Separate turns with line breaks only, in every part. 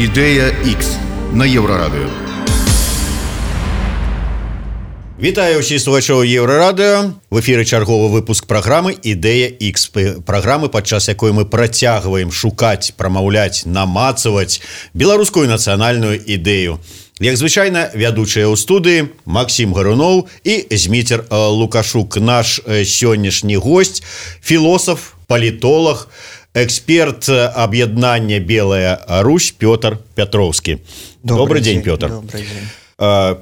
Ідея X на Єврорадіо.
Вітаю ўсіх слухачоў Еўрарадыо. В эфіры чарговы выпуск праграмы «Ідэя X». Праграмы, падчас якой мы працягваем шукаць, прамаўляць, намацаваць беларускую нацыянальную ідэю. Як звычайна, вядучыя ў студыі Максім Гаруноў і Зміцер Лукашук. Наш сённяшні госць, філосаф, палітолог, эксперт аб'яднання «Белая Русь» Пётр Пятроўскі. Добрый дзень, Пётр.
Добрый дзень.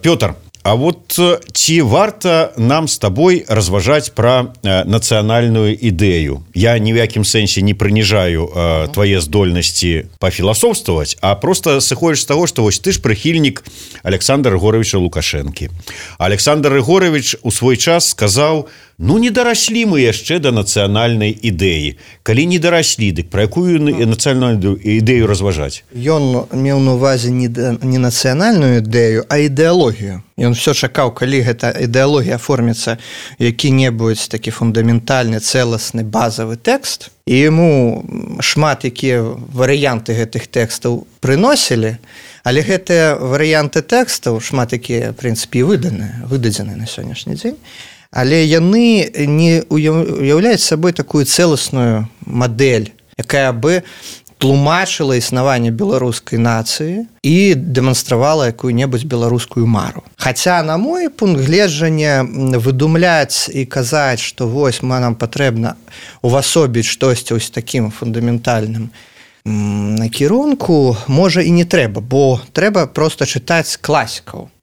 Пётр, а вот ці варта нам з табой разважаць пра нацыянальную ідэю? Я ні ў якім сэнсе не прыніжаю твае здольнасці пафіласофстваваць, а просто сыходзіш з таго, што вось ты ж прыхільнік Александра Григорьевича Лукашэнкі. Александр Григорьевич у свой час сказаў: ну, не дараслі мы яшчэ да нацыянальнай ідэі. Калі не дараслі, дык пра якую нацыянальную ідэю разважаць?
Ён меў на увазе не нацыянальную ідэю, а ідэалогію. Ён все чакаў, калі гэта ідэалогія аформіцца які-небудзь такі фундаментальны, цэласны, базавы тэкст, і яму шмат якія варыянты гэтых тэкстаў прыносілі, але гэтыя варыянты тэкстаў, шмат якія, в прынцыпе, выдадзены на сённяшні дзень, але яны не уяўляюць сабой такую цэласную мадэль, якая бы тлумачыла існаванне беларускай нацыі і дэманстравала якую-небудзь беларускую мару. Хаця, на мой пункт гледжання, выдумляць і казаць, што вось нам патрэбна увасобіць штосьці вось такім фундаментальным накірунку, можа і не трэба, бо трэба проста чытаць класікаў.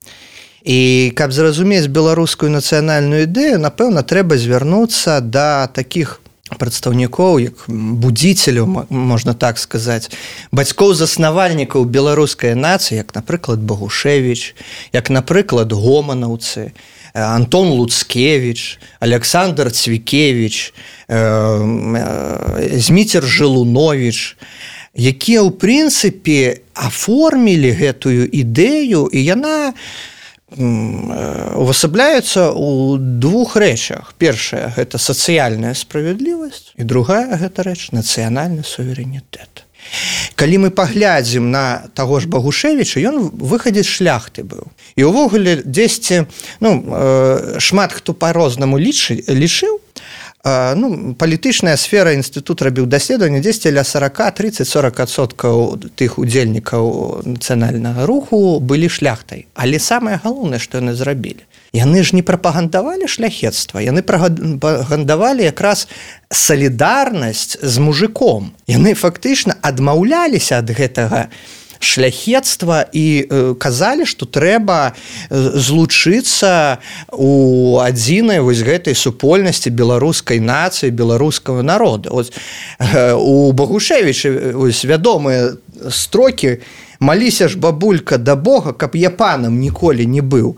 І каб зразумець беларускую нацыянальную ідэю, напэўна, трэба звярнуцца да такіх прадстаўнікоў, як будзіцеляў, можна так сказаць, бацькоў-заснавальнікаў беларускай нацыі, як, напрыклад, Багушевіч, як, напрыклад, гоманаўцы, Антон Луцкевіч, Александр Цвікевіч, Зміцер Жылуновіч, якія, ў прынцыпе, аформілі гэтую ідэю, і яна увасабляецца ў двух рэчах. Першая – гэта сацыяльная справядлівасць, і другая – гэта рэч – нацыянальны суверэнітэт. Калі мы паглядзім на таго ж Багушевіча, ён выхадзец шляхты быў. І ўвогуле дзесьці, шмат хто па-рознаму лічыў, палітычная сфера, інстытут рабіў даследаванне, дзесьці ля 30-40% тых удзельнікаў нацыянальнага руху былі шляхтай. Але самае галоўнае, што яны зрабілі, яны ж не прапагандавалі шляхецтва, яны прапагандавалі якраз салідарнасць з мужиком. Яны фактычна адмаўляліся ад гэтага шляхецтва і казалі, што трэба злучыцца у адзінай вось гэтай супольнасці беларускай нацыі, беларускага народа. У Багушевіча вядомыя строкі: «Маліся ж, бабулька, да Бога, каб я панам ніколі не быў».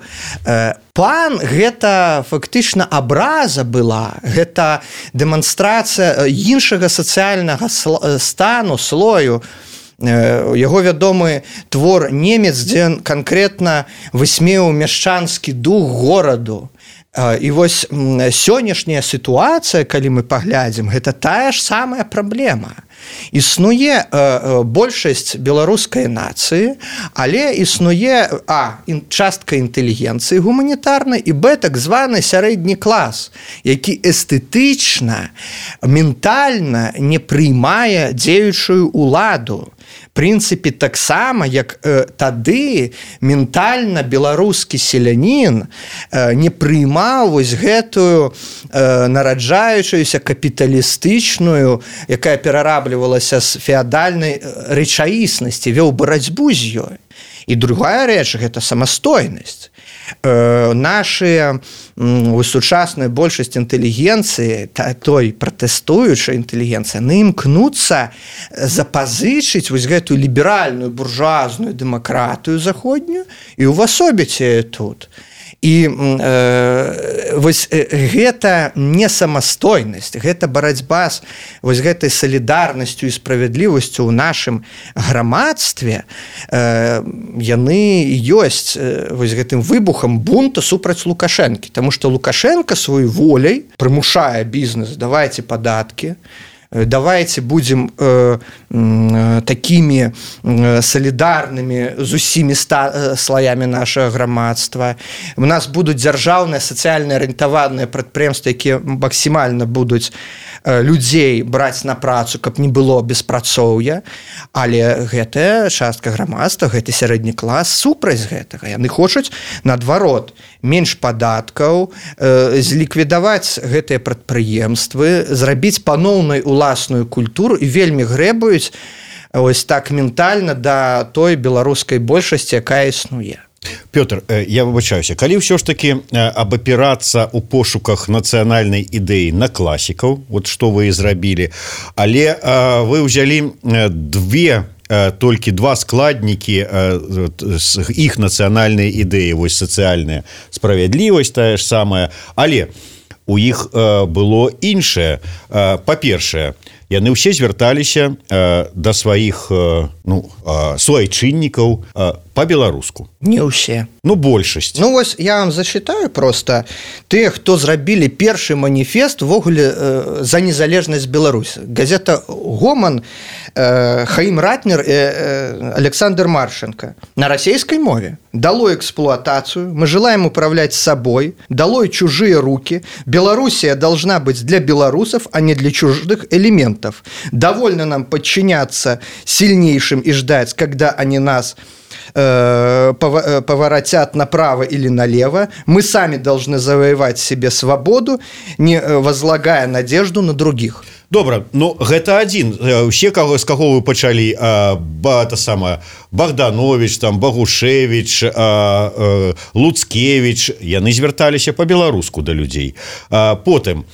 Пан – гэта фактычна абраза была, гэта дэманстрацыя іншага сацыяльнага стану, слою. Яго вядомы твор «Немец», дзе канкрэтна высмеяў мяшчанскі дух гораду. І вось сённяшняя сітуацыя, калі мы паглядзім, гэта тая ж самая праблема. Існуе большасць беларускай нацыі, але існуе частка інтэлігенцыі гуманітарнай і так званы сярэдні клас, які эстэтычна, ментальна не прыймае дзеючую ўладу. Прынцыпе, таксама, як тады ментальна беларускі селянін не прыймаў вось гэтую нараджаючуюся капіталістычную, якая перараблівалася з феадальнай рэчаіснасці, вёў барацьбу з ёй. І другая рэч – гэта самастойнасць. Наша сучасная большасць інтэлігенцыі, той пратэстуючай інтэлігенцыі, яны імкнуцца запазычыць вось гэтую ліберальную буржуазную дэмакратыю заходнюю і ўвасобіць яе тут. І вось гэта не самастойнасць, гэта барацьба з вось гэтай салідарнасцю і справядлівасцю ў нашым грамадстве, яны ёсць вось гэтым выбухам бунта супраць Лукашэнкі, таму што Лукашенко сваёй воляй прымушае бізнес: давайце падаткі, давайте будем такими солідарнымі з усімі слоямі нашага грамадства. У нас будуць дзяржаўныя сацыяльна арыентаваныя прадпрыемствы, якія максімальна будуць людзей браць на працу, каб не было беспрацоўя, але гэтая частка грамадства, гэты сярэдні клас супраць гэтага. Яны хочуць, наадварот, менш падаткаў, зліквідаваць гэтыя прадпрыемствы, зрабіць паноўнай уласную культуру і вельмі грэбуюць ось так ментальна да той беларускай большасці, якая існуе.
Пётр, я выбачаюся, калі ўсё ж такі абапірацца ў пошуках нацыянальнай ідэі на класікаў, вот што вы і зрабілі, але вы ўзялі толькі два складнікі з іх нацыянальнай ідэі, вось сацыяльная справядлівасць тая ж самая, але у іх было іншае. Па-першае, яны ўсе звярталіся да сваіх суайчыннікаў па-беларуску.
Не ўсе.
Большасць.
Вось я вам зачытаю просто тыя, хто зрабілі першы маніфест увогуле за незалежнасць Беларусі. Газета «Гоман», Хаім Ратнер і Александр Марченко на расійскай мове. Долой эксплуатацию, мы желаем управлять собой, долой чужие руки, Белоруссия должна быть для белорусов, а не для чужих элементов. Довольно нам подчиняться сильнейшим и ждать, когда они нас поворотят направо или налево. Мы сами должны завоевать себе свободу, не возлагая надежду на других.
Добра, гэта адзін. Усе, з каго вы пачалі, Богданович, Багушевич, Луцкевич, яны звярталіся па-беларуску да людзей. Потым,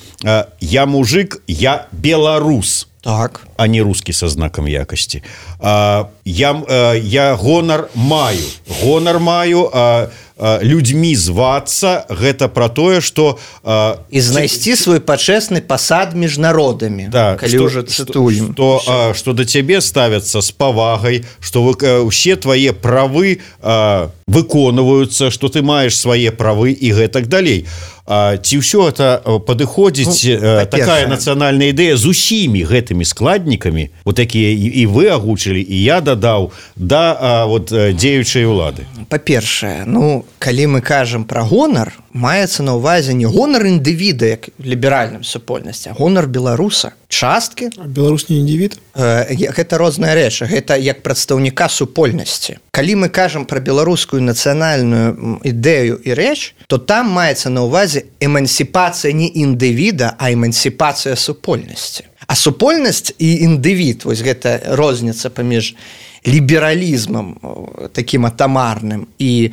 я мужик, я беларус.
Так.
А не русский со знаком якости. Я гонар маю, людьми зваться, гэта про тое, что
и знайсці свой пачэсны пасад між народамі.
Да,
калі уже цытуем.
Что до тебе ставятся с павагай, что все твои правы выконваюцца, что ты маешь свае правы и гэтак далей. Ці ўсё это падыходзіць такая нацыянальная ідэя з усімі гэтымі складнікамі, вот такія і вы агучылі, і я дадаў да дзеючай улады.
Па-першае, калі мы кажам пра гонар, маецца на ўвазе не гонар індывіда, як в ліберальным супольнасці, а гонар беларуса. Часткі.
Беларус не індывід?
Гэта розная рэч, гэта як прадстаўніка супольнасці. Калі мы кажам пра беларускую нацыянальную ідэю і рэч, то там маецца на ўвазе эмансіпацыя не індывіда, а эмансіпацыя супольнасці. А супольнасць і індывід, вось гэта розніца паміж лібералізмам такім атамарным і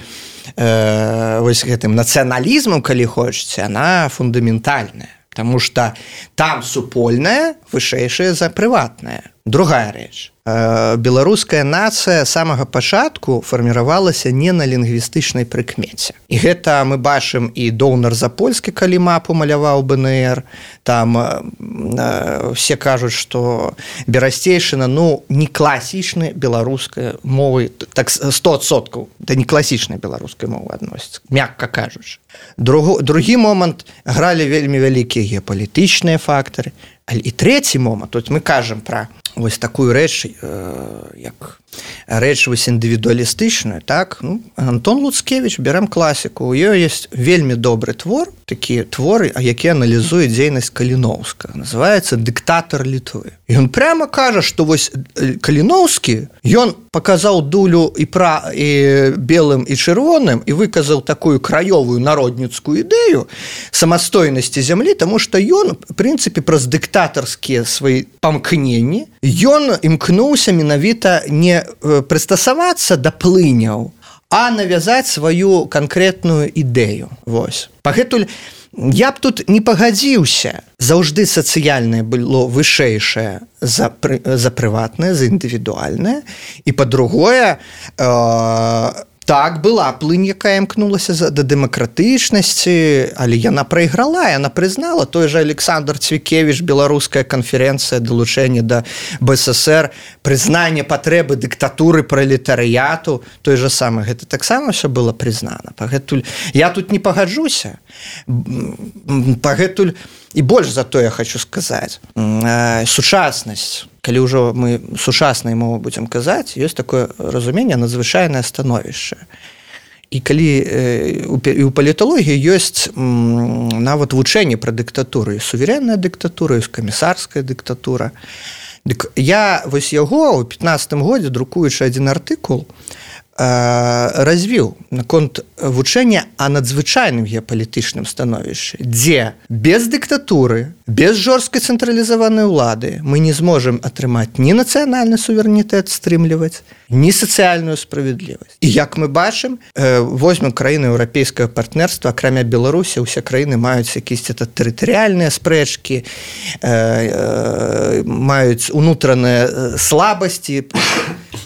вось гэтым нацыяналізмам, калі хочаце, она фундаментальная. Потому что там супольная вышэйшая за прыватная. Другая рэч. Беларуская нацыя з самага пачатку фарміравалася не на лінгвістычнай прыкмеце. І гэта мы бачым і Доўнар Запольскі, калі мапу маляваў БНР, там все кажуць, што Берасцейшына не класічнай беларускай мовы, так 100%, да не класічнай беларускай мовы адносіцца, мякка кажучы. Другі момант, гралі вельмі вялікія геапалітычныя фактары. І трэці момант, тут мы кажам пра вось такую рэч, як рэч вось індывідуалістычную, так? Антон Луцкевич, берем класіку, у ёй ёсць вельмі добры твор, такі творы, які аналізуе дзейнасць Каліноўскага, называецца «Дыктатар Літвы». І ён прямо кажа, што вось Каліноўскі, ён паказаў дулю і белым і чырвоным і выказаў такую краёвую народніцкую ідэю самастойнасці зямлі, таму што ён, в прынцыпе, праз дыктатарскія свае памкненні, ён імкнуўся менавіта не прыстасавацца да плыняў, а навязаць сваю канкрэтную ідэю. Вось. Пагэтуль я б тут не пагадзіўся. Заўжды сацыяльнае было вышэйшае за прыватнае, за індывідуальнае. І па-другое, Так, была плынь, якая імкнулася да дэмакратычнасці, але яна прайграла, яна прызнала. Той же Александр Цвікевіч, беларуская канферэнцыя далучэння да БССР, прызнанне патрэбы дыктатуры пралетарыяту, той же самы, гэта таксама ўсё было прызнана. Пагэтуль я тут не пагаджуся. Пагэтуль і больш за то я хочу сказаць. Сучаснасць, калі ўжо мы сучаснай мовы будзем казаць, ёсць такое разуменне надзвычайнае становішча. І калі і ў паліталогіі ёсць нават вучэнне пра дыктатуру, суверэнная дыктатура, ёсць камісарская дыктатура. Дык я вось яго ў 15-м годзе, друкуючы адзін артыкул, развіў наконт вучэння о надзвычайным геапалітычным становішчы, дзе без дыктатуры, без жорсткай цэнтралізаванай улады мы не зможам атрымаць ні нацыянальны суверэнітэт стрымліваць, ні сацыяльную справядлівасць. І як мы бачым, возьмем краіны еўрапейскага партнерства, акрамя Беларусі, усе краіны маюць якісь тэрытарыяльныя спрэчкі, маюць унутраныя слабасці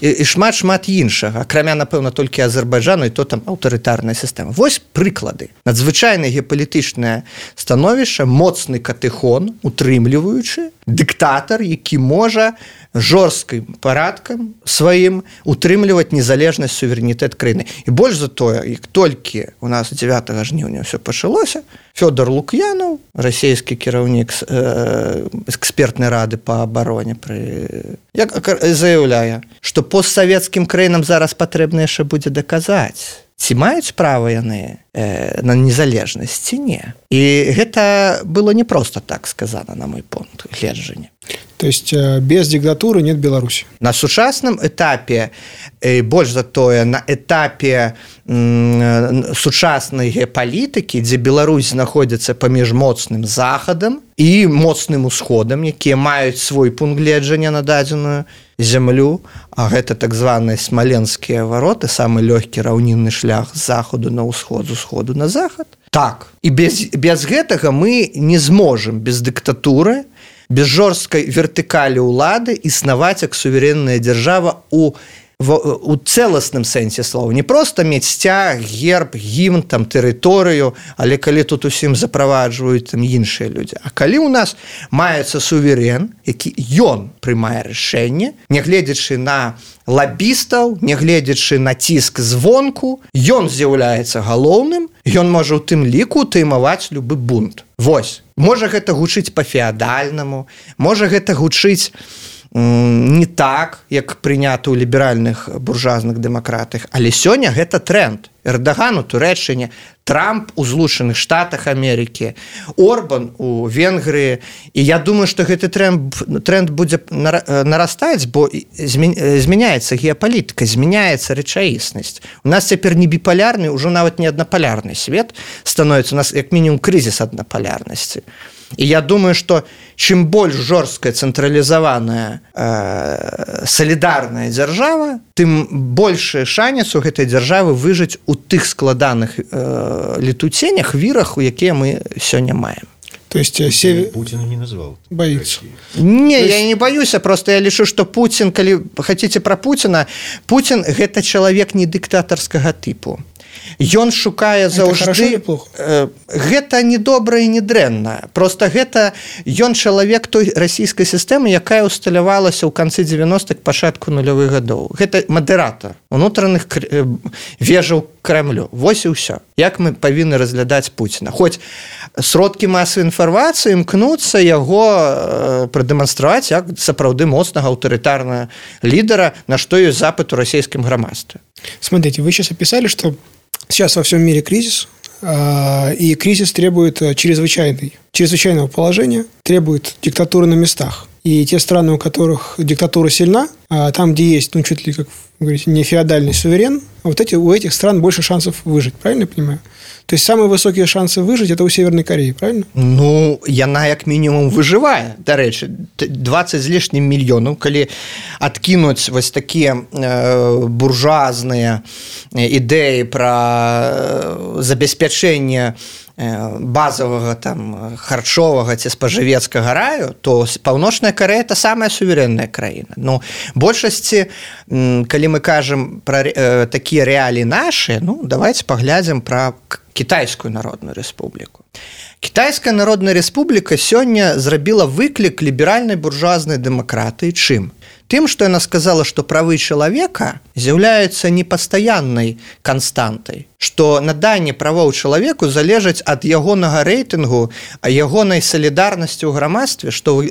і шмат іншага, акрамя, напэўна, толькі Азербайджану, і то там аўтарытарная сістэма. Вось прыклады. Надзвычайнае геапалітычнае становішча, моцны катэхон, утрымліваючы, дыктатар, які можа жорсткім парадкам сваім утрымліваць незалежнасць, суверэнітэт краіны. І больш за тое, як толькі у нас 9 жніўня ўсё пачалося, Фёдор Лук'янаў, расійскі кіраўнік экспертнай рады па абароне, заяўляе, што постсавецкім краінам зараз патрэбна яшчэ будзе даказаць, ці маюць права яны на незалежнасць, ці не. І гэта было не проста так сказана, на мой пункт гледжання.
То есть без диктатуры нет Беларуси.
На сучасным этапе, больш за тое, на этапе сучаснай геапалітыкі, дзе Беларусь знаходзіцца паміж моцным захадам і моцным усходам, якія маюць свой пункт гледжання на дадзеную зямлю, а гэта так званыя смаленскія вароты, самы лёгкі раўнінны шлях з захаду на ўсход, з усходу на захад. Так, і без гэтага мы не зможам без дыктатуры, без жорсткай вертыкалі ўлады існаваць як суверэнная дзяржава у цэласным сэнсе слова. Не проста мець сцяг, герб, гімн, там, тэрыторыю, але калі тут усім заправаджваюць там іншыя людзі. А калі ў нас маецца суверэн, які ён прымае рашэнне, нягледзячы на лабістаў, нягледзячы на ціск звонку, ён з'яўляецца галоўным, ён можа ў тым ліку таймаваць любы бунт. Вось. Можа гэта гучыць па-феадальнаму, можа гэта гучыць не так, як прынята ў ліберальных буржуазных дэмакратыях, але сёння гэта тренд. Эрдаган у Турэччыне, Трамп у Злучаных Штатах Амерыкі, Орбан у Венгрыі. І я думаю, што гэты тренд будзе нарастаць, бо змяняецца геапалітыка, змяняецца рэчаіснасць. У нас цяпер не біпалярны, ужо нават не аднапалярны свет становіцца, у нас як мінімум крызіс аднапалярнасці. І я думаю, што чым больш жорсткая цэнтралізаваная салідарная дзяржава, тым большы шанец у гэтай дзяржавы выжыць у тых складаных летуценнях, вірах, у якія мы сёння маем.
То есть
Путин не назвал.
Боится.
Не, я не боюся, просто я лічу, што Путин, калі хотите про Путина, Путин гэта чалавек не дыктатарскага тыпу. Ён шукае заўжды... Гэта не добра і не дрэнна. Просто гэта ён чалавек той расійскай сістэмы, якая усталявалася ў канцы 90-х, пачатку нулявых гадоў. Гэта мадэратар унутраных вежаў Кремлю. Вось і ўсё. Як мы павінны разглядаць Пуціна. Хоць сродкі масавай інфармацыі імкнуцца яго прадэманстраваць як сапраўды моцнага аўтарытарнага лідара, на што ёсць запыт у расійскім грамадстве.
Смотрите, вы сейчас описали, что сейчас во всем мире кризис, и кризис требует чрезвычайного положения, требует диктатуры на местах. И те страны, у которых диктатура сильна, там, где есть, чуть ли, как вы говорите, не феодальный суверен, у этих стран больше шансов выжить, правильно я понимаю? То есть самые высокие шансы выжить – это у Северной Кореи, правильно?
Яна як мінімум выжывае. Дарэчы, 20 з лішнім мільёнаў, калі адкінуць вось такія буржуазныя ідэі пра забеспячэнне базовага там харчовага ці спажывецкага раю, то Паўночная Карэя это самая суверэнная краіна. Ну, большасці, калі мы кажам пра такія рэаліі нашы, ну, давайте паглядзім пра Кітайскую Народную Рэспубліку. Кітайская Народная Рэспубліка сёння зрабіла выклік ліберальнай буржуазнай дэмакратыі чым? Тым, што яна сказала, што правы чалавека з'яўляюцца непастаяннай канстантай, што наданне правоў чалавеку залежаць ад ягонага рэйтынгу, а ягонай салідарнасці ў грамадстве, што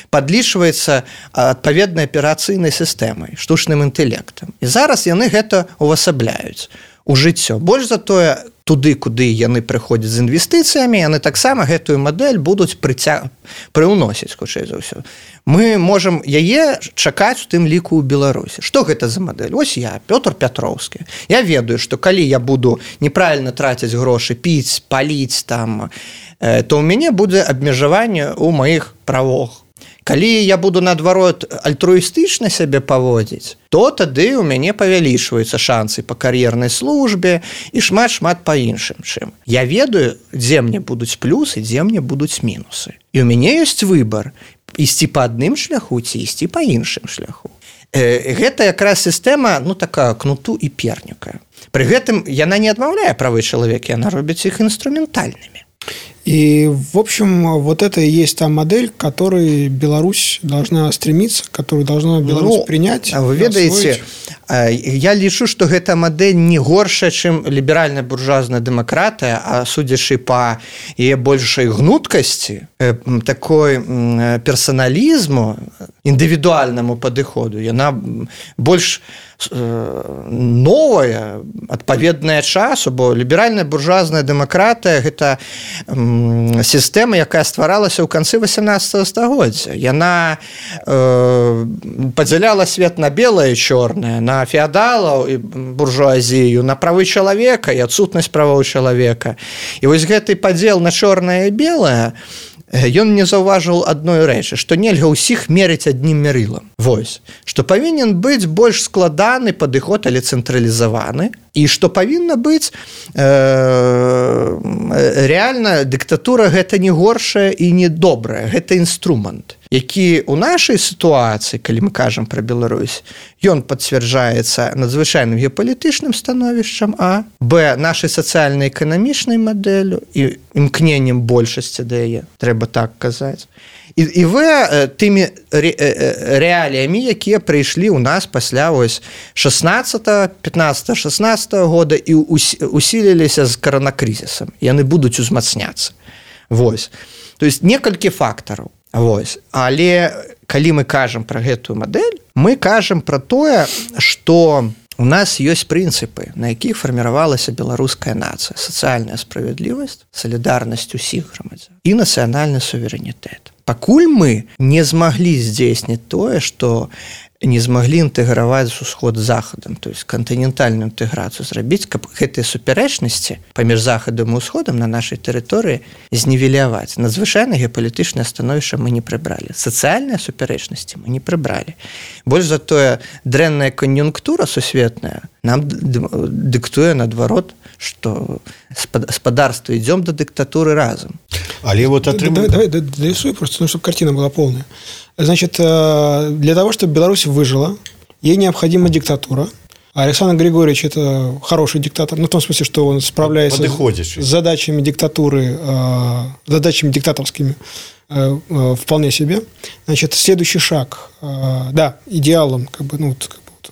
падлічваецца адпаведнай аперацыйнай сістэмай, штучным інтэлектам. І зараз яны гэта увасабляюць у жыццё. Больш за тое, туды, куды яны прыходзяць з інвестыцыямі, яны таксама гэтую мадэль будуць прыўносіць, хутчэй за ўсё. Мы можам яе чакаць у тым ліку ў Беларусі. Што гэта за мадэль? Вось я, Пётр Пятроўскі. Я ведаю, што калі я буду неправільна траціць грошы, піць, паліць там, то ў мяне будзе абмежаванне ў маіх правах. Калі я буду, наадварот, альтруістычна сябе паводзіць, то тады ў мяне павялічваюцца шансы па кар'ернай службе і шмат-шмат па іншым чым. Я ведаю, дзе мне будуць плюсы, дзе мне будуць мінусы. І ў мяне ёсць выбар ісці па адным шляху ці ісці па іншым шляху. Гэта якраз сістэма, ну, такая кнуту і перніка. Пры гэтым яна не адмаўляе правы чалавека, яна робіць іх інструментальнымі.
И, в общем, вот это и есть та модель, к которой Беларусь должна стремиться, которую должна Беларусь принять.
Вы ведаеце, я лічу, што гэта мадэль не горшая, чым ліберальная буржуазная дэмакратыя, а судзячы па яе большай гнуткасці, такой персаналізму, індывідуальнаму падыходу, яна больш новая, адпаведная часу, бо ліберальная буржуазная дэмакратыя гэта сістэма, якая стваралася ў канцы 18 стагоддзя. Яна падзяляла свет на белае і чорнае, на феадалаў і буржуазію, на правы чалавека і адсутнасць правоў чалавека. І вось гэты падзел на чорнае і белае, ён не заўважыў адной рэчы, што нельга ўсіх мерыць аднім мерылам. Вось, што павінен быць больш складаны падыход, але цэнтралізаваны, і што павінна быць рэальна дыктатура гэта не горшая і не добрая, гэта інструмент, які ў нашай сітуацыі, калі мы кажам пра Беларусь, ён пацвярджаецца надзвычайным геапалітычным становішчам, а б, нашай сацыяльна-эканамічнай мадэллю і імкненнем большасці да яе, трэба так казаць. І в, тымі рэаліямі, якія прыйшлі ў нас пасля 15-16 года і усіліліся з каранакрызісам. Яны будуць узмацняцца. Вось. То есть некалькі фактараў. Вось. Але калі мы кажам пра гэтую мадэль, мы кажам пра тое, што у нас ёсць прынцыпы, на якіх фарміравалася беларуская нацыя: сацыяльная справядлівасць, салідарнасць усіх грамадзян і нацыянальны суверэнітэт. Пакуль мы не змаглі здзейсніць тое, што не змаглі інтэграваць з усход з захадам, то есть кантынентальную інтэграцыю зрабіць, каб гэтыя супярэчнасці паміж захадам і ўсходам на нашай тэрыторыі знівеляваць. Надзвычайна геапалітычнае становішча мы не прыбралі. Сацыяльныя супярэчнасці мы не прыбралі. Больш за тое, дрэнная кан'юнктура сусветная нам дыктуе, наадварот, што спадарства ідзём да дыктатуры разам.
Але вот
Давай дорисую просто, чтобы картина была полная. Значит, для того, чтобы Беларусь выжила, ей необходима диктатура. А Александр Григорьевич – это хороший диктатор, ну, в том смысле, что он справляется с задачами диктатуры, задачами диктаторскими вполне себе. Значит, следующий шаг, да, идеалом, как бы, ну,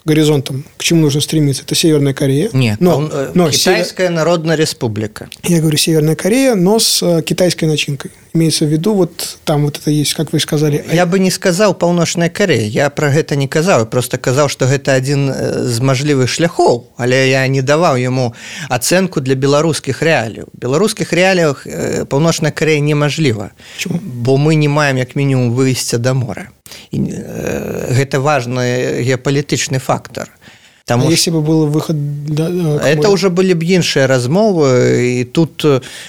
горизонтом, к чему нужно стремиться, это Северная Корея.
Нет, но Китайская Народная Республика.
Я говорю Северная Корея, но с китайской начинкой. Имеется в виду, вот там вот это есть, как вы сказали.
Я бы не сказал Паўночная Корея, я про гэта не казаў, я просто казаў, што гэта адзін з мажлівых шляхоў, але я не даваў яму ацэнку для беларускіх рэаліяў. У беларускіх рэаліях Паўночная Корея немажліва, бо мы не маем як мінімум выйсця да мора. І гэта важны геапалітычны фактор.
Потому а если бы был выход...
Это уже были бы іншыя размовы, і тут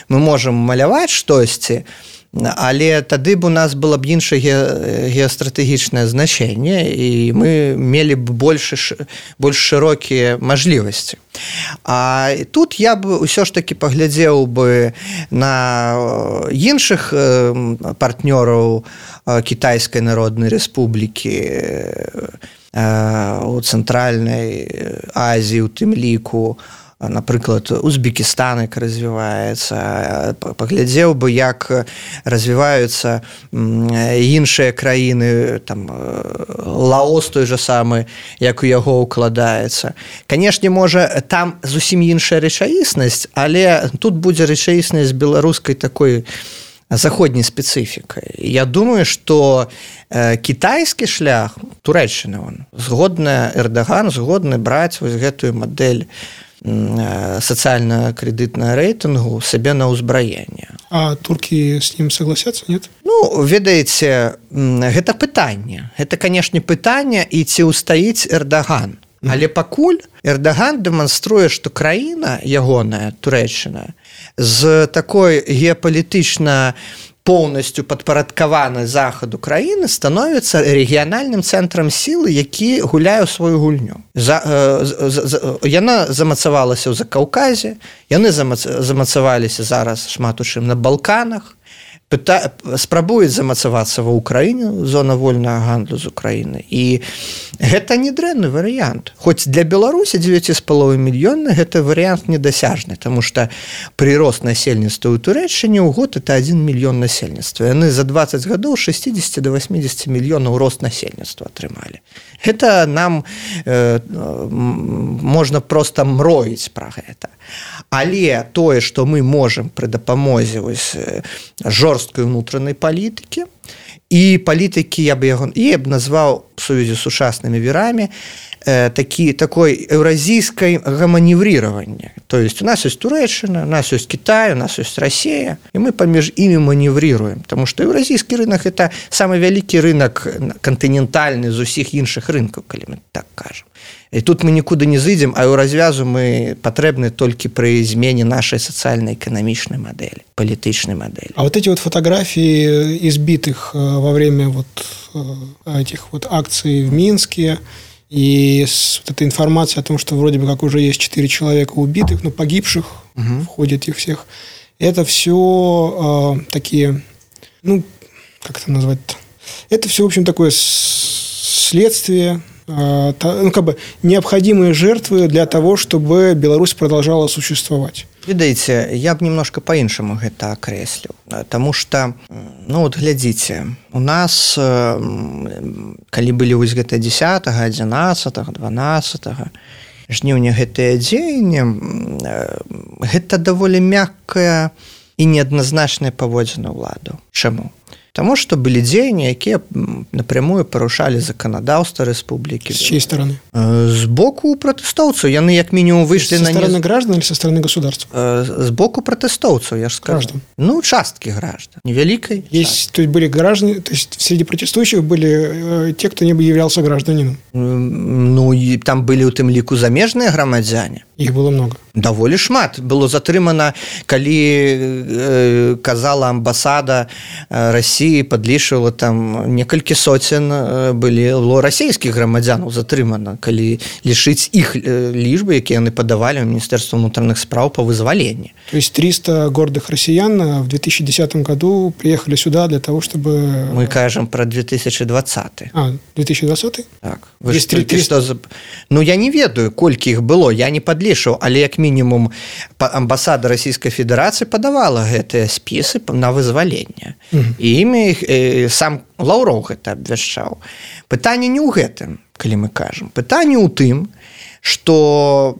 мы можем маляваць штосьці, але тады б у нас было б іншае геастратэгічнае значэнне і мы мелі б больш шырокія мажлівасці. А тут я б усё ж таки паглядзеў бы на іншых партнёраў Кітайскай Народнай Рэспублікі у Цэнтральнай Азіі, у тым ліку, напрыклад, Узбекістан, як развіваецца, паглядзеў бы, як развіваюцца іншыя краіны, там, Лаос той же самы, як у яго ўкладаецца. Канешне, можа, там зусім іншая рэчаіснасць, але тут будзе рэчаіснасць беларускай такой заходняй спецыфікай. Я думаю, што кітайскі шлях, Турэччына, згодны Эрдаган, згодны браць вось гэтую мадэль сацыяльна-крэдытнага рэйтынгу сабе на ўзбраенне.
А туркі з ім согласяцца, нет?
Ну, ведаеце, гэта пытанне. Гэта, канешне, пытанне, і ці ўстаіць Эрдаган. Але пакуль Эрдаган дэманструе, што краіна ягоная, Турэччына, з такой геапалітычна поўнасцю падпарадкаванай захаду краіны становіцца рэгіянальным цэнтрам сілы, які гуляе ў сваю гульню. Яна замацавалася ў Закаўказе, яны замацаваліся зараз шмат у чым на Балканах, спрабуюць замацавацца ва ўкраіне, зона вольнага гандлю з Украіны. І гэта не дрэнны варыянт. Хоць для Беларусі 9,5 мільёна гэта варыянт недасяжны, таму што прырост насельніцтва ў Турэччыне ў год это 1 мільён насельніцтва. Яны за 20 гадоў 60 до 80 мільёнаў рост насельніцтва атрымалі. Гэта нам можна проста мроіць пра гэта. Але тое, што мы можам пры дапамозе жорсткай унутранай палітыкі і палітыкі, я б назваў в сувязі з сучаснымі вірамі такой еўразійскай маневрирования. То есть у нас есть Турэччына, у нас есть Китай, у нас есть Россия, и мы паміж імі маневрируем, потому что еўразійскі рынок это самый вялікі рынок кантынентальны з усіх іншых рынкаў, калі мы так кажам. І тут мы нікуды не зыдзем, а ў развязу мы патрэбны толькі пры змене нашай сацыяльна-эканамічнай мадэлі, палітычнай мадэлі.
А вот эти вот фотографии избитых во время вот этих вот акций в Минске и вот эта информация о том, что вроде бы как уже есть 4 человека убитых, но погибших в ходе этих всех, это все такие, ну, как это назвать-то? Это все, в общем, такое следствие, ну, как бы необходимые жертвы для того, чтобы Беларусь продолжала существовать.
Ведаеце, я б немножко по-іншаму гэта акрэсліў, таму што, ну, вот глядзіце, у нас, калі былі вось гэта 10, 11, 12 жніўня гэтыя дзеянні, гэта даволі мяккая і неадназначная паводзіна ўладаў. Чаму? Таму што былі дзеянні, якія напрямую парушалі заканадаўства рэспублікі.
С чьей стороны?
З боку пратэстоўцаў. Яны як мінімум выйшлі на...
Со стороны граждан или со стороны государства?
З боку пратэстоўцаў, я ж скажу.
Граждан?
Ну, часткі граждан. Невялікай.
То есть были граждане, то есть среди протестующих были те, кто не являлся гражданином?
Ну, і там былі ў тым ліку замежныя грамадзяне.
Их было много.
Даволі шмат. Было затрымана, калі казала амбасада России, падлічвала там некалькі соцен было расійскіх грамадзянаў затрымана, калі лічыць іх лічбы, якія яны падавалі ў Міністэрства ўнутраных спраў па вызваленні.
То есть 300 гордых россиян в 2010 году приехали сюда для того, чтобы...
Мы кажем про 2020.
А, 2020?
Так. Вы 300... Ну, я не ведаю, колькі іх было, я не падлічваў, але як мінімум амбасада Расійскай Федэрацыі падавала гэтыя спісы на вызваленне. І імі сам Лаўроў гэта абвяшчаў. Пытанне не ў гэтым, калі мы кажам. Пытанне ў тым, што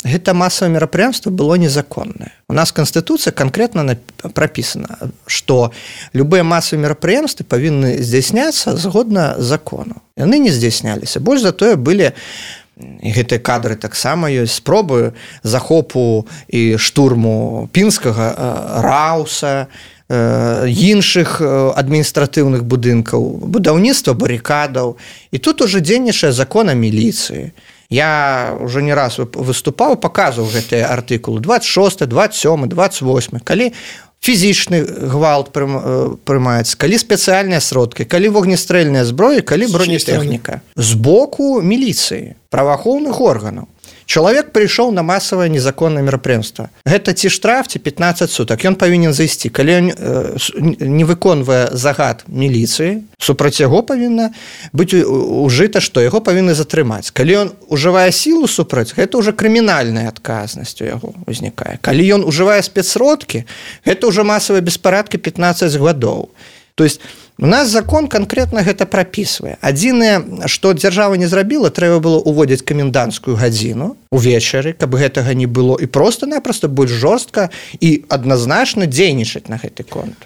гэта масавае мерапрыемства было незаконнае. У нас Канстытуцыя канкрэтна прапісана, што любыя масавыя мерапрыемствы павінны здзяйсняцца згодна закону. Яны не здзяйсняліся. Больш за тое былі і гэтыя кадры таксама ёсць спробы захопу і штурму пінскага Рауса, іншых адміністратыўных будынкаў, будаўніцтва барыкадаў. І тут уже дзейнічае закон о міліцыі. Я уже не раз выступаў, паказваў гэтыя артыкулы 26, 27, 28, калі фізічны гвалт прымаецца, калі спецыяльныя сродкі, калі вогнестрэльная зброя, калі бронетэхніка з боку міліцыі, праваахоўных органаў. Чалавек прыйшоў на масавае незаконнае мерапрыемства. Гэта ці штраф, ці 15 сутак. Ён павінен зайсці. Калі ён не выконвае загад міліцыі, супраць яго павінна быць ужыта, што яго павінны затрымаць. Калі ён ужывае сілу супраць, гэта ўжо крымінальная адказнасць у яго ўзнікае. Калі ён ужывае спецсродкі, гэта ўжо масавыя беспарадкі 15 гадоў. То есть у нас закон конкретно гэта прапісвае. Адзінае, што дзяржава не зрабіла, трэба было ўводзіць каменданцкую гадзіну увечары, каб гэтага не было, і просто-напросто больш жорстка і адназначна дзейнічаць на гэты конт.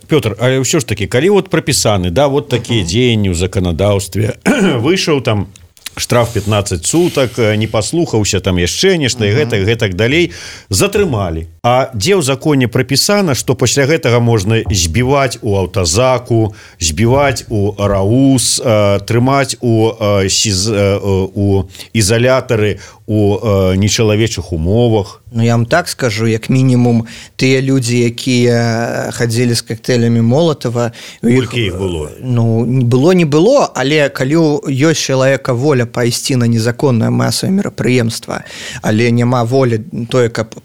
Пётр, але ўсё ж такі, калі вот прапісаны, да, вот такія дзеянні ў заканадаўстве, выйшаў там штраф 15 сутак, не паслухаўся там яшчэ нешта і гэтак далей, затрымалі. А дзе ў законе прапісана, што пасля гэтага можна збіваць у аўтазаку, збіваць у раус, трымаць у ізалятары у нечалавечых умовах?
Ну, я вам так скажу, як мінімум тыя людзі, якія хадзілі з коктейлямі Молотова,
колькі іх было?
Ну, не было, але калі ёсць чалавека воля пайсці на незаконнае масавае мерапрыемства, але няма волі тое, каб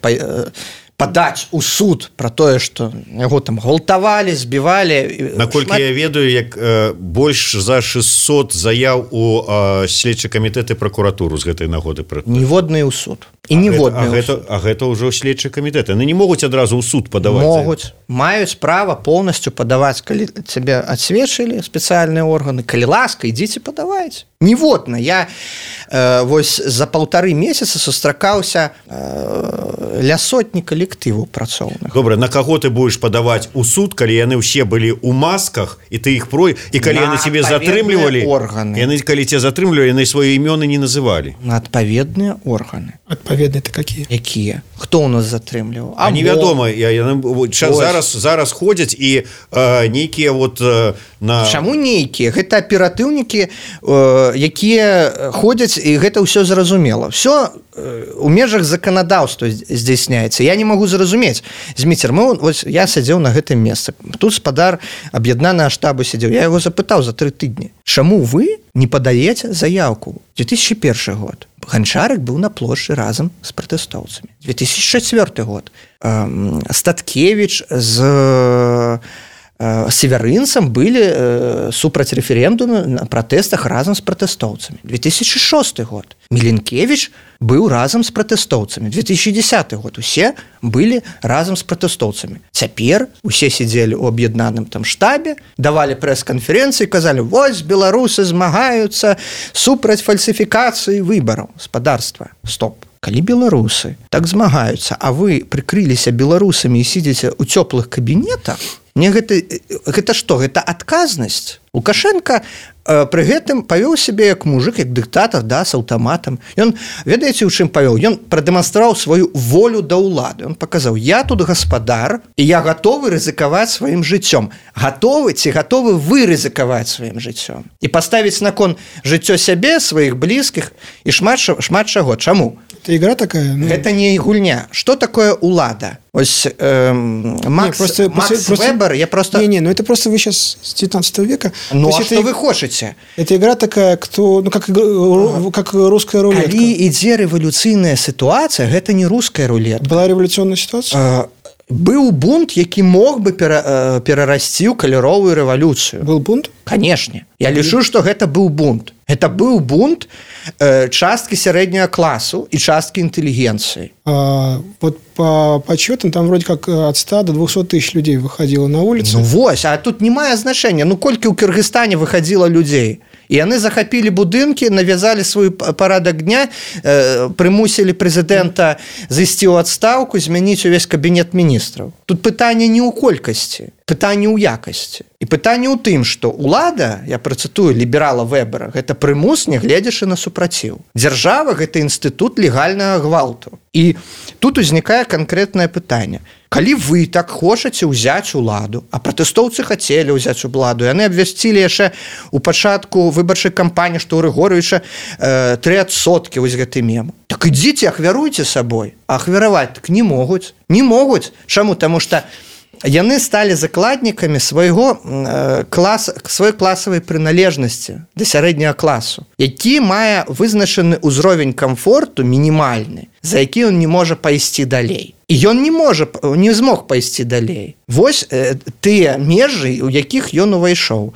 падаць у суд пра тое, што яго там гвалтавалі, збівалі.
Наколькі я ведаю, як больш за 600 заяў у следчы камітэт і пракуратуру з гэтай нагоды.
Ніводны ў суд. І ніводны ў суд.
А гэта ўжо следчы камітэт. Яны не могуць адразу ў суд падаваць.
Могуць. Маюць права поўнасцю падаваць, калі цябе адсведчылі спецыяльныя органы. Калі ласка, ідзіце падавайце. Ніводна. Я вось за 1,5 месяца сустракаўся ля сотні калектываў працоўных.
Добра, на каго ты будзеш падаваць у суд, калі яны ўсе былі ў масках, і ты іх і калі яны цябе затрымлівалі, яны калі цябе затрымлівалі, яны свае імёны не называлі.
На адпаведныя органы.
Адпаведныя это какие?
Якія? Хто ў нас затрымліваў?
А невядома, зараз ходзяць і нейкія вот на...
Чаму нейкія? Гэта аператыўнікі, якія ходзяць, і гэта ўсё зразумела. Всё у межах заканадаўства здзяйсняецца. Я не магу зразумець. Зміцер, я сядзеў на гэтым месцы. Тут спадар аб'яднанага штабу сядзеў. Я яго запытаў за 3 тыдні. Чаму вы не падаеце заявку? 2001 год. Ганчарык быў на плошчы разам з пратэстоўцамі. 2004 год. Статкевіч з северынцам былі супраць рэферэндуму на пратэстах разам з пратэстоўцамі. 2006 год. Міленкевіч быў разам з пратэстоўцамі. 2010 год. Усе былі разам з пратэстоўцамі. Цяпер усе сидзелі ў аб'яднаным там штабе, давалі прэс-канферэнцыі, казалі, вось беларусы змагаюцца супраць фальсіфікацыі выбараў спадарства. Стоп. Калі беларусы так змагаюцца, а вы прыкрыліся беларусамі і сидзіце ў цёплых кабінетах, мне гэта што? Гэта адказнасць. Лукашенко пры гэтым павёў сябе як мужик, як дыктатар, да, з аўтаматам. Ён, ведаеце, у чым павёў? Ён прадэманстраваў сваю волю да ўлады. Ён паказаў, я тут гаспадар, і я гатовы рызыкаваць сваім жыццём. Гатовы ці гатовы вы рызыкаваць сваім жыццём? І паставіць на кон жыццё сябе, сваіх блізкіх і шмат чаго. Чаму?
Это игра такая? Ну...
Это не гульня. Что такое улада? Ось Макс Вебер, я просто...
ну это просто вы сейчас с 19 века.
Ну, а что вы хочете?
Это игра такая, кто, ну, как русская рулетка.
Калі ідзе рэвалюцыйная сітуацыя, гэта не русская рулетка.
Была революционная ситуация?
Быў бунт, які мог бы перарасці ў каляровую рэвалюцыю.
Был бунт?
Канешне. Я лічу, што гэта быў бунт. Это быў бунт часткі сярэдняга класу і часткі інтэлігенцыі.
Вот по подсчетам там вроде как от 100 до 200 тысяч людей выходило на улицу.
Ну вось, а тут не мае значэння. Ну колькі ў Кыргызстане выходило людзей? І яны захапілі будынкі, навязалі свой парадак дня, прымусілі прэзідэнта зайсці ў адстаўку, змяніць увесь кабінет міністраў. Тут пытанне не ў колькасці, пытанне ў якасці. І пытанне ў тым, што ўлада, я працытую ліберала Вебера, гэта прымус, не гледзячы на супраціў. Дзяржава – гэта інстытут легальнага гвалту. І тут узнікае канкрэтнае пытанне. Калі вы так хочаце ўзяць уладу, а пратэстоўцы хацелі ўзяць уладу, яны абвясцілі яшчэ ў пачатку выбарчай кампаніі, што ў Рыгоровіча 3% вось гэты мем. Так ідзіце, ахвяруйце сабой. А ахвяраваць так не могуць. Не могуць. Чаму? Таму што яны сталі закладнікамі свой класавай прыналежнасці да сярэдняга класу, які мае вызначаны ўзровень камфорту мінімальны, за які ён не можа пайсці далей. І ён не змог пайсці далей. Вось тыя межы, у якіх ён увайшоў.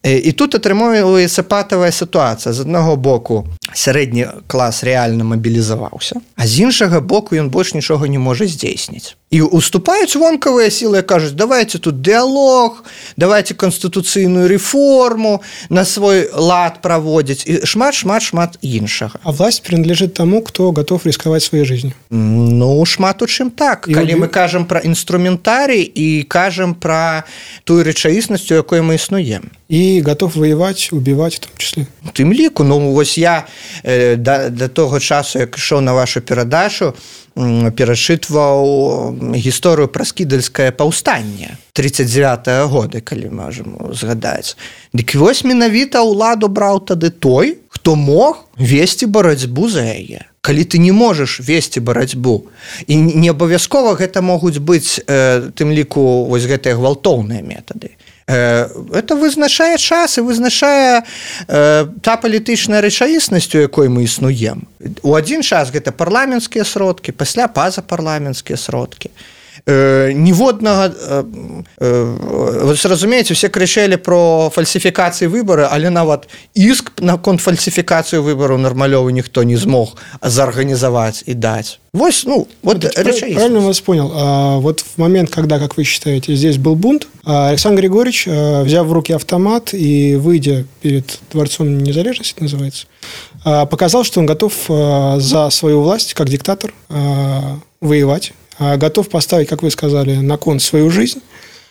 І тут атрымоўваецца патавая сітуацыя. З аднаго боку сярэдні клас рэальна мабілізаваўся, а з іншага боку ён больш нічога не можа здзейсніць. І уступаюць вонкавыя сілы, кажуць, давайте тут дыялог, давайте канстытуцыйную рэформу на свой лад праводзіць і шмат іншага.
А власть принадлежит тому, кто готов рисковать своей жизнью.
Ну, шмат у чым так. Калі мы кажам пра інструментарый і кажам пра тую рэчаіснасць, у якой мы існуем.
И готов воевать, убивать в том числе.
У тым ліку, ну вось я да того часу, як ішоў на вашу перадачу, перачытваў гісторыю пра скідальскае паўстанне 39-го года, калі можам згадаць. Дык вось менавіта ўладу браў тады той, хто мог весці барацьбу за яе. Калі ты не можаш весці барацьбу, і не абавязкова гэта могуць быць тым ліку вось гэтыя гвалтоўныя метады. Это вызначае час і вызначае та палітычная рэчаіснасць, у якой мы існуем. У адзін час гэта парламенцкія сродкі, пасля пазапарламенцкія сродкі. Ніводнага, вы разумееце, все крычэлі про фальсіфікацыі выбары, але нават іск наконт фальсіфікацыі выбараў нармалёвы ніхто не змог зарганізаваць і даць. Вот рэчаіснасць.
Правильно вас понял. Вот в момент, когда, как вы считаете, здесь был бунт, Александр Григорьевич, взяв в руки автомат и выйдя перед Дворцом Незалежности, называется, показал, что он готов за свою власть, как диктатор, воевать, готов поставить, как вы сказали, на кон свою жизнь,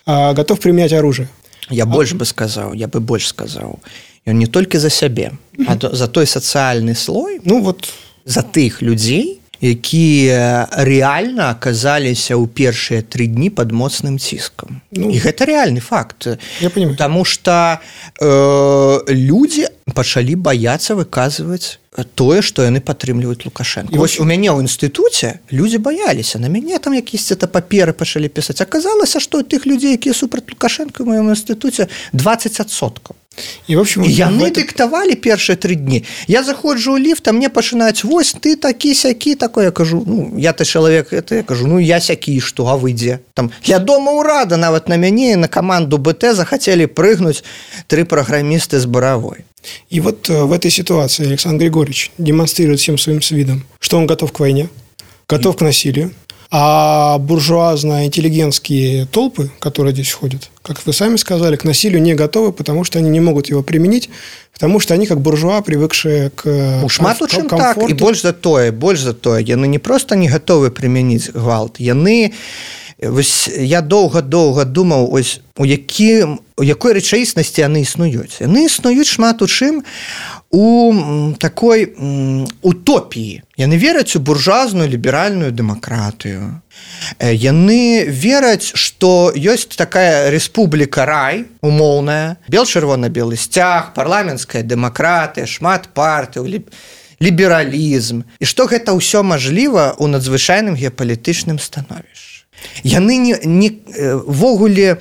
готов применять оружие.
Я бы больше сказал. Он не только за сябе, а за той сацыяльны слой, за тых людзей, якія рэальна аказаліся ў першыя 3 дні пад моцным ціскам. І гэта рэальны факт.
Я понимаю.
Таму што людзі пачалі баяцца выказваць тое, што яны падтрымліваюць Лукашенко. Вось у мяне ў інстытуце людзі баяліся, на мяне там якісь-то паперы пачалі пісаць. Аказалася, што тых людзей, якія супраць Лукашенко ў маім інстытуце 20%.
І, в общем,
яны дыктавалі першыя 3 дні. Я заходжу ў ліфт, а мне пачынаюць: вось ты такі-сякі такой. Я кажу, я-то чалавек, я кажу, я сякі, што, а вы дзе? Там я дома ўрада, нават на мяне на каманду БТ захацелі прыгнуць 3 праграмісты з Боровой.
И вот в этой ситуации Александр Григорьевич демонстрирует всем своим видом, что он готов к войне, готов к насилию, а буржуазно-интеллигентские толпы, которые здесь ходят, как вы сами сказали, к насилию не готовы, потому что они не могут его применить, потому что они как буржуа, привыкшие к комфорту.
Так, и больше за тое, яны не просто не готовы применить гвалт, яны... Я доўга думаў, у якой рэчаіснасці яны існуюць. Яны існуюць шмат у чым у такой утопіі. Яны вераць у буржуазную ліберальную дэмакратыю. Яны вераць, што ёсць такая рэспубліка рай умоўная, бел-чырвона-белы сцяг, парламенцкая дэмакратыя, шмат партый, лібералізм, і што гэта ўсё мажліва ў надзвычайным геапалітычным становішчы. Яны ввогуле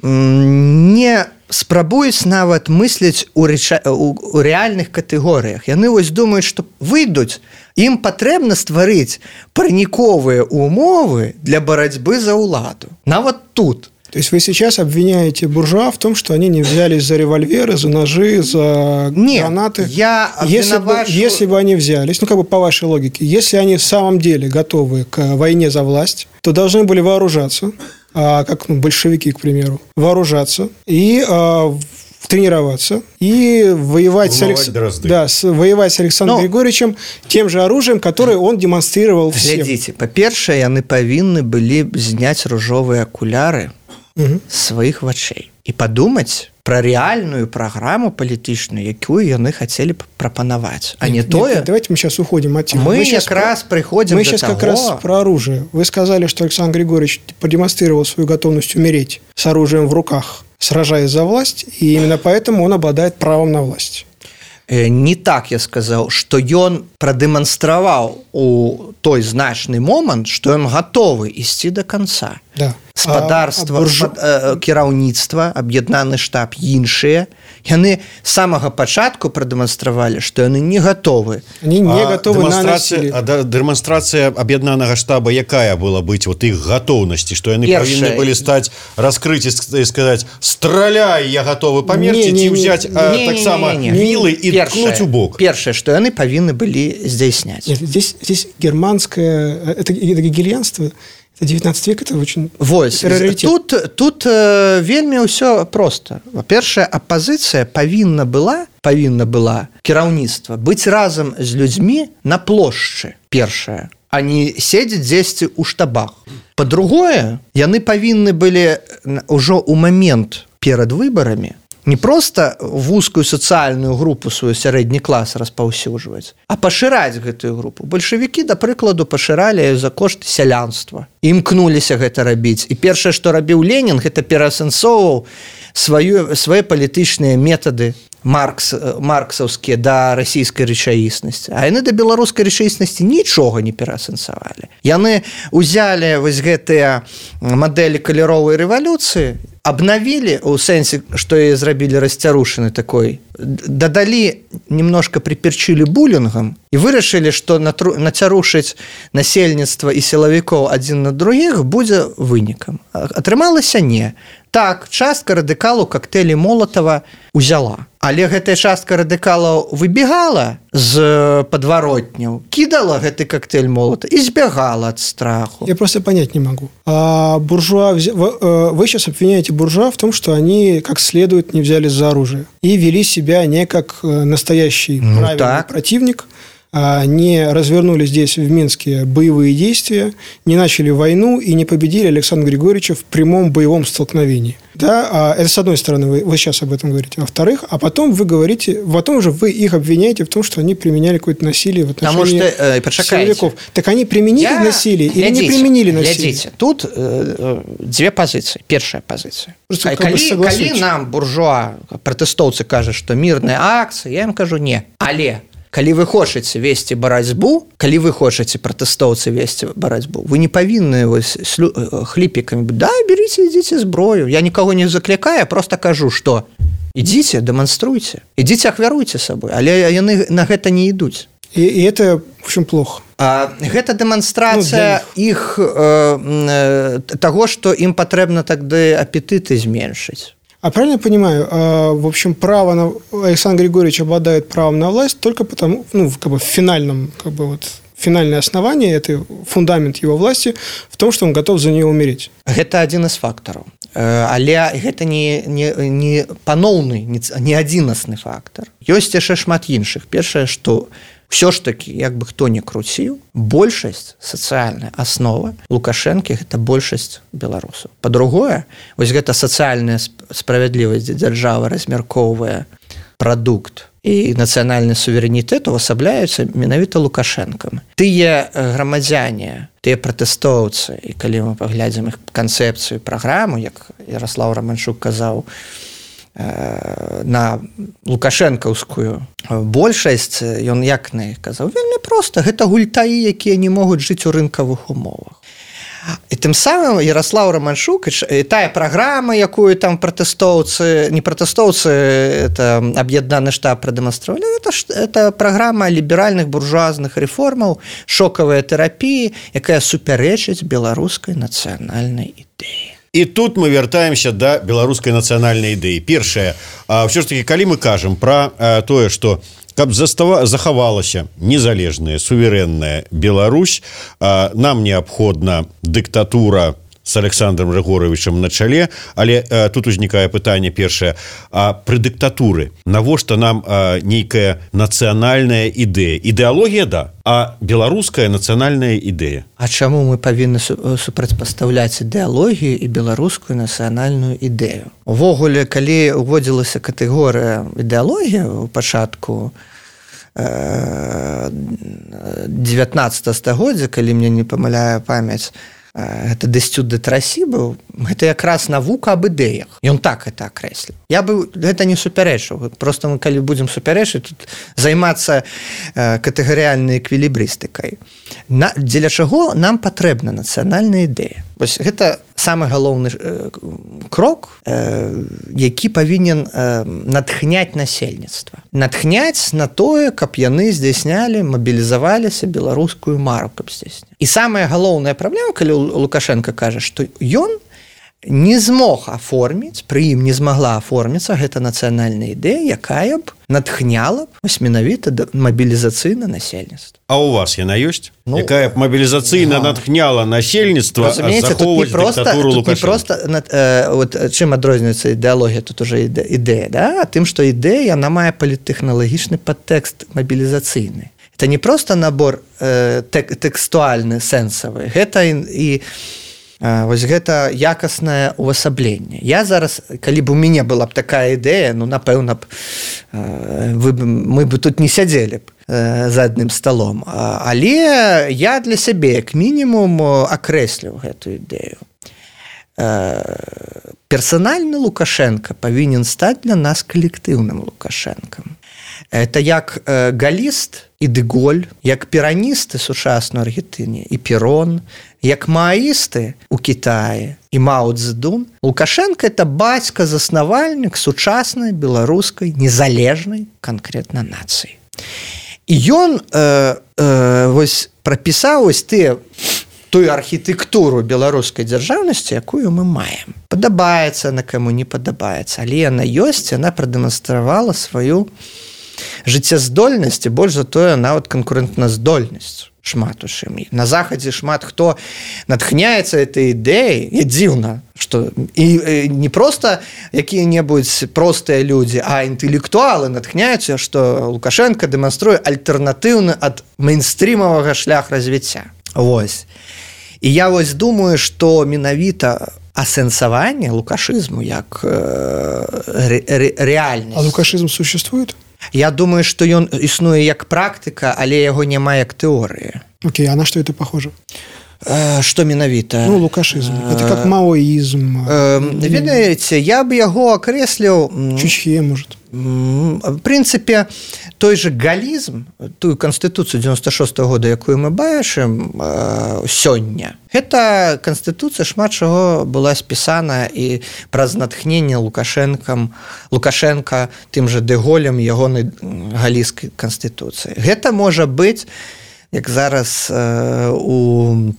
не спрабуюць нават мысліць у рэальных катэгорыях. Яны вось думаюць, што выйдуць, ім патрэбна стварыць праніковыя умовы для барацьбы за ўладу. Нават тут.
То есть вы сейчас обвиняете буржуа в том, что они не взялись за револьверы, за ножи, за гранаты? Если бы они взялись, по вашей логике, если они в самом деле готовы к войне за власть, то должны были вооружаться, как большевики, к примеру, вооружаться и тренироваться и воевать воевать с Александром Григорьевичем тем же оружием, которое он демонстрировал всем.
Глядзіце, па-першае, яны павінны былі зняць ружовыя акуляры сваіх вачэй і падумаць пра рэальную праграму палітычную, якую яны хацелі прапанаваць, а не тое...
Давайте мы сейчас уходим от темы.
Мы якраз прыходзім
до того... Мы сейчас как раз про оружие. Вы сказали, что Александр Григорьевич продемонстрировал свою готовность умереть с оружием в руках, сражаясь за власть, и именно поэтому он обладает правом на власть.
Не так я сказаў, што ён прадэманстраваў у той значны момант, што ён гатовы ісці да канца.
Да.
Спадарства, кіраўніцтва, аб'яднаны штаб, іншыя. Яны з самага пачатку прадэманстравалі, што яны не гатовы.
Они не готовы на насилие.
Дэманстрацыя аб'яднанага штаба якая была быць вот іх гатоўнасці, што яны павінны былі стаць раскрыць і сказаць: страляй, я готовы памерці, ці ўзяць таксама вілы і ткнуць у бок.
Першае, што яны павінны былі здзяйсняць.
Нет, здесь германское, это гегельянство, это 19 век, это очень раритет.
Тут вельмі ўсё просто. Во-першае, апазіцыя павінна была кіраўніцтва быць разам з людзьмі на плошчы, першае, а не седзець дзесьці ў штабах. Па-другое, яны павінны былі ўжо ў момент перад выбарамі не просто вузкую сацыяльную групу свой сярэдні клас распаўсюджваць, а пашыраць гэтую групу. Бальшавікі, да прыкладу, пашыралі за кошт сялянства. Імкнуліся гэта рабіць. І першае, што рабіў Ленін, гэта пераасэнсоўваў свае палітычныя метады марксаўскія да расійскай рэчаіснасці. А яны да беларускай рэчаіснасці нічога не пераасэнсавалі. Яны ўзялі вось гэтыя мадэлі каляровай рэвалюцыі, обновили, у сэнсе, што і зрабілі расцярушаны такой, дадалі, немножко приперчили буллингом і вырашылі, што нацярушыць насельніцтва і сілавікоў адзін на другіх будзе вынікам. Атрымалася не. Так, частка радыкалаў коктейлі Молотова узяла. Але гэтая частка радыкалаў выбегала з подворотняў, кидала гэты коктейль Молотова и збегала от страху.
Я просто понять не могу. Буржуа, вы сейчас обвиняете буржуа в том, что они как следует не взялись за оружие и вели себя не как настоящий правильный противник, не развернули здесь в Минске боевые действия, не начали войну и не победили Александра Григорьевича в прямом боевом столкновении. Да, это с одной стороны, вы сейчас об этом говорите. Во-вторых, а потом вы говорите, потом уже вы их обвиняете в том, что они применяли какое-то насилие в отношении силовиков. Так они применили насилие или не применили насилие?
Глядите, тут две позиции. Первая позиция. Калі нам буржуа, пратэстоўцы кажа, што мірная акцыя, я ім кажу не. Але калі вы хочаце весці барацьбу, калі вы хочаце пратэстоўцы весці барацьбу, вы не павінны хліпікамі да, беріце, ідзіце зброю. Я нікого не заклікаю, просто кажу, што ідзіце, дэманструйце, ідзіце, ахвяруйце сабой, але яны на гэта не ідуць.
И это, в общем, плохо.
Гэта дэманстрацыя іх таго, што ім патрэбна тады апетыты зменшыць.
А правильно я понимаю, в общем, Александр Григорьевич обладает правом на власть только потому, в финальном, финальное основание, это фундамент его власти в том, что он готов за нее умереть.
Это один из факторов. Але гэта не паноўны, не адзінасны фактор. Ёсць яшчэ шмат іншых. Першае, што ўсё ж такі, як бы хто не круціў, большасць, сацыяльная аснова Лукашэнкі – гэта большасць беларусаў. Па-другое, вось гэта сацыяльная справядлівасць, дзе дзяржава размяркоўвае прадукт і нацыянальны суверэнітэт увасабляюцца менавіта Лукашэнкам. Тыя грамадзяне, тыя пратэстоўцы, і калі мы паглядзім іх канцэпцыю, праграму, як Ярослаў Романчук казаў, на лукашэнкаўскую большасць, ён як на іх казаў, вельмі проста, гэта гультаі, якія не могуць жыць у рынкавых умовах. І тым самым Ярослаў Романчук і тая праграма, якую там пратэстоўцы, не пратэстоўцы, это аб'яднаны штаб прадэманстравалі, это праграма ліберальных буржуазных рэформаў, шокавая тэрапіі, якая супярэчыць беларускай нацыянальнай ідэі.
І тут мы вяртаемся да беларускай нацыянальнай ідэі. Першае, ўсё ж такі, калі мы кажам пра тое, што каб захавалася незалежная, суверэнная Беларусь, нам неабходна дыктатура с Александром Григоровичем на чале, але тут узнікае пытанне першае, а пры дыктатуры навошта нам нейкая нацыянальная ідэя? Ідэалогія, да, а беларуская нацыянальная ідэя.
А чаму мы павінны супрацьпастаўляць ідэалогію і беларускую нацыянальную ідэю? Увогуле, калі уводзілася катэгорыя ідэалогія ў пачатку 19 стагоддзя, калі мне не памыляе памяць, это Дестюд де Трасі быў гэта якраз навука аб ідэях. Ён так это акрэсліў. Я бы гэта не супярэчыў. Просто мы калі будзем супярэчыць, тут займацца катэгарыяльнай эквілібрыстыкай. Дзеля чаго нам патрэбна нацыянальная ідэя? Вось гэта самы галоўны крок, які павінен натхняць насельніцтва. Натхняць на тое, каб яны здзяйснялі, мабілізаваліся, беларускую мару каб здзяйснялі. І самая галоўная праблема, калі Лукашенко кажа, што ён не змог аформіць, пры ім не змагла аформіцца гэта нацыянальная ідэя, якая б натхняла б вось менавіта мабілізацыйна насельніцтва.
А у вас яна ёсць? Якая б мабілізацыйна натхняла насельніцтва захоўваць дыктатуру Лукашенка?
Чым адрозніваецца ідэалогія, тут уже ідэя, да? Тым, што ідэя, яна мае паліттэхналагічны падтэкст мабілізацыйны. Это не просто набор тэкстуальны, сэнсавы. Гэта і вось гэта якаснае увасабленне. Я зараз, калі б у мяне была б такая ідэя, ну, напэўна б, мы бы тут не сядзелі б за адным сталом. Але я для сябе, як мінімум, акрэсліў гэту ідэю. Персанальны Лукашенко павінен стаць для нас калектыўным Лукашэнкам. Это як галіст і Деголь, як піраністы сучаснай Аргентыне і Перон, як мааісты у Кітаі і Мао Цзэдун. Лукашенко – это бацька-заснавальнік сучаснай беларускай незалежнай канкрэтна нацыі. І ён вось прапісаў вось тую архітэктуру беларускай дзяржаўнасці, якую мы маем. Падабаецца на каму, не падабаецца, але яна ёсць, яна прадэманстравала сваю жыццяздольнасць і больш за тое нават канкурэнтназдольнасць шмат у чым. На захадзе шмат хто натхняецца этой ідэяй, і дзіўна, што і не проста якія-небудзь простыя людзі, а інтэлектуалы натхняюцца, што Лукашенко дэманструе альтэрнатыўны ад мейнстрімавага шлях развіцця. Вось. І я вось думаю, што менавіта асэнсаванне лукашызму як рэальнасць.
А лукашызм существует?
Я думаю, што ён існуе як практыка, але яго няма як тэорыі.
Окей, а на что это похоже?
Что менавіта?
Ну, лукашызм. Это как маоизм.
Ведаеце, я бы яго акрэсліў...
Чучхе, может.
В прынцыпе, той же галізм, тую канстытуцыю 96-го года, якую мы бачым сёння, гэта канстытуцыя шмат чаго была спісана і праз натхненне Лукашенка тым же Деголем ягонай галійскай канстытуцыі. Гэта можа быць, як зараз у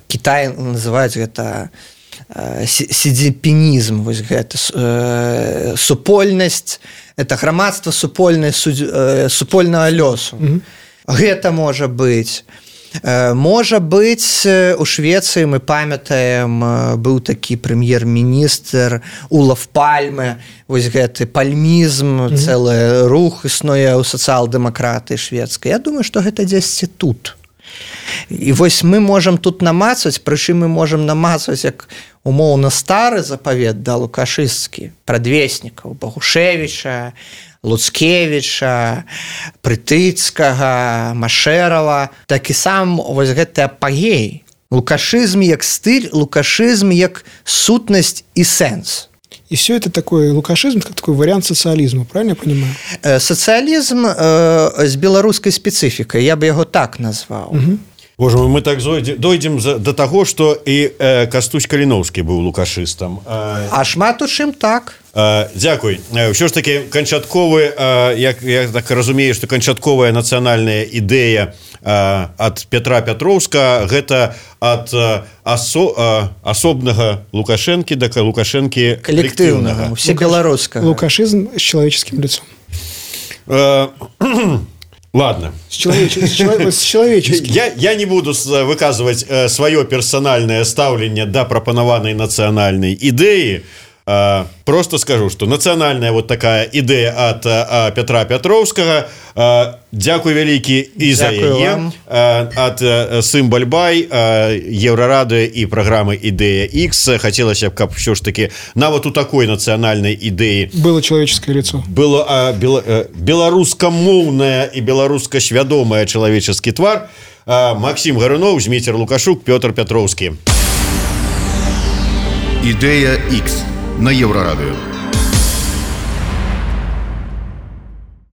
Кітаі называюць гэта сідзіпінізм, вось гэта супольнасць, это грамадства супольнага лёсу. Гэта можа быць. Можа быць, у Швецыі мы памятаем, быў такі прэм'ер-міністр Олаф Пальме, вось гэты пальмізм, цэлы рух існуе ў сацыял-дэмакратыі шведскай. Я думаю, што гэта дзесьці тут. І вось мы можам тут намацваць, прычым мы можам намацваць як умоўна стары запавет, да, лукашысцкі, прадвеснікаў Багушевіча, Луцкевіча, Прытыцкага, Машэрава, так і сам вось гэты апагей. Лукашызм як стыль, лукашызм як сутнасць і сэнс.
И все это такой лукашизм, как такой вариант социализма, правильно я понимаю?
Социализм с белорусской спецификой, я бы его так назвал.
Боже мой, мы так дойдем до того, что и Кастусь Каліновскі быў лукашыстам.
А шмат у чым так.
Дзякуй. Ўсё ж таки канчатковы, я так разумею, што канчатковая нацыянальная ідэя ад Петра Пятроўска гэта ад асобнага Лукашэнкі да Лукашэнкі калектыўнага.
Усебеларускага.
Лукашизм с человеческим лицом.
Ладно.
С человеческим.
Я не буду выказывать свое персональное ставленне да прапанаванай нацыянальнай ідэі. Просто скажу, что национальная вот такая идея от Петра Пятроўскага. Дзякуй вялікі і за яе от Сымбальбай, Еврорадио и программы «Идея X». Хотелось бы, каб все ж таки нават у такой национальной идеи
было человеческое лицо.
Было беларускамоўнае и беларускасвядомае человеческий твар. Максим Гарунов, Зміцер Лукашук, Петр Пятроўскі.
Ідэя X на Еўрарадыё.